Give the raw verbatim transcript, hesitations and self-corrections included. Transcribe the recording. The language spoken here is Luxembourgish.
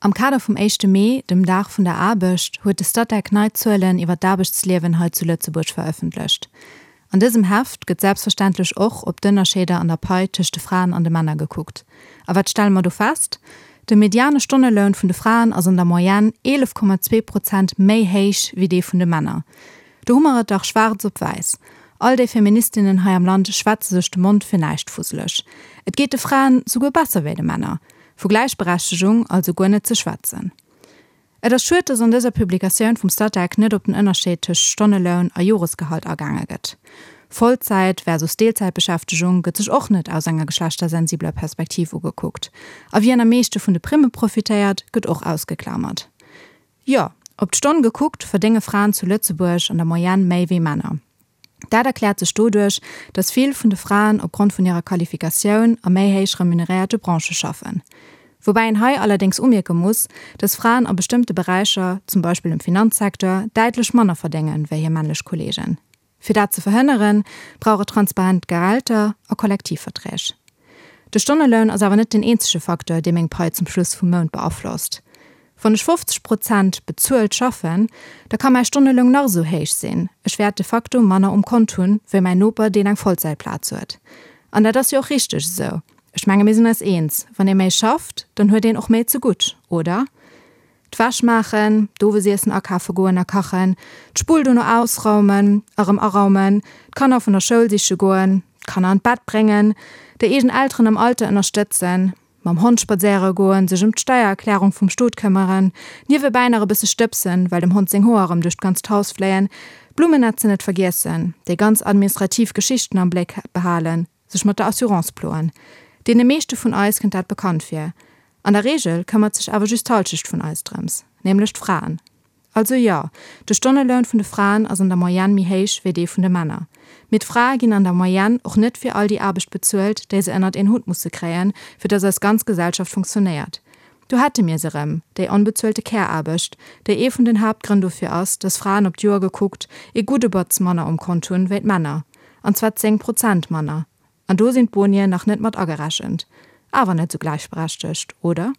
Am Kader vum éischte Mee, dem Dag vun der Aarbecht, huet de Statec nei Zuelen iwwer d'Aarbechtsliewen hei zu Lëtzebuerg verëffentlecht. An dësem Heft gëtt selbstverständlech och op d'Ënnerscheeder an der Pai tëscht de Fraen an de Männer gekuckt. A wat stelle mer do fest? De mediane Stonneloun vun de Fraen ass an der Moyenne eelef Komma zwee Prozent méi héich wéi dee vun de Männer. Do hu mer et dach schwaarz op wäiss. All déi Feministinnen hei am Land schwätze sech de Mond fir näischt fusseleg. Et geet de Fraen souguer besser wéi de Männer. Vu Gläichberechtegung also guer net ze schwätzen. Et ass schued, dass an dëser Publikatioun vum Statec net op den Ënnerscheed tëscht Stonneloun a Joresgehalt agaange gëtt. Vollzäit versus Deelzäitbeschäftegung gëtt sech och net aus enger geschlechtersensibler Perspektiv ugekuckt. A wien am meeschte vun de Primme profitéiert, gëtt och ausgeklamert. Jo, op d'Stonn gekuckt verdénge Fraen zu Lëtzebuerg an der Moyenne méi wéi Männer. Dat erkläert sech doduerch, dass vill vun de Fraen opgrond vun hirer Qualifikatioun a méi héich remuneréierte Branchë schaffen. Woubäi een hei allerdéngs umierke muss, dass Fraen a bestëmmte Beräicher, zum Beispill im Finanzsecteur, däitlech manner verdéngen, wéi hir männlech Kolleegen. Fir dat ze verhënneren, brauch et transparent Gehälter a Kollektivverträg. De Stonneloun ass awer net den eenzege Facteur, dee meng Pai zum Schluss vum Mount beaflosst. Wann ech fofzeg Prozent bezuelt schaffen, da ka mäi Stonneloun nach esou héich sinn, ech wäert de facto manner um Kont hunn, wéi mäin Noper, deen eng Vollzäitplaz huet. An dat ass jo och richteg esou. Ech menge mir sinn eis eens, wann ee méi schafft, dann huet een och méi zegutt, oder? D'Wäsch maachen, d'Owesiessen akafe goen a kachen, d'Spull dono ausraumen, erëm araumen, d'Kanner vun der Schoul siche goen, d'Kanner an d'Bett bréngen, déi eegen Elteren am Alter ënnerstëtzen, mam Hond spadséiere goen, sech ëm d'Steiererklärung vum Stot këmmeren, niewebäi nach e bësse stëbsen, well dem Hond seng Hoer erëm duerch d'ganzt Haus fléien, d'Blummennetzen net vergiessen, déi ganz administrativ Geschichten am Bléck behalen, sech mat der Assurance ploen. Deene meeschte vun eis kënnt dat bekannt vir. An der Reegel këmmert sech awer just d'Hallschecht vun eis drëms, nämlech d'Fraen. Also jo, de Stonneloun vun de Fraen ass an der Moyenne méi héich wéi dee vun de Männer. Mee d'Frae ginn an der Moyenne och net fir all déi Aarbecht bezuelt, déi se ënnert een Hutt musse kréien, fir dass eis ganz Gesellschaft funktionéiert. Do hätte mir se erëm, déi onbezuelte Care-Aarbecht, déi ee vun den Haaptgrënn dofir ass, dass Fraen op d'Joer gekuckt ee gudde Batz manner um Kont hunn wéi d'Männer. An zwar zéng Prozent manner. An do sinn d'Bonien nach net mat agerechent. Awer net sou gläichberechtegt, oder?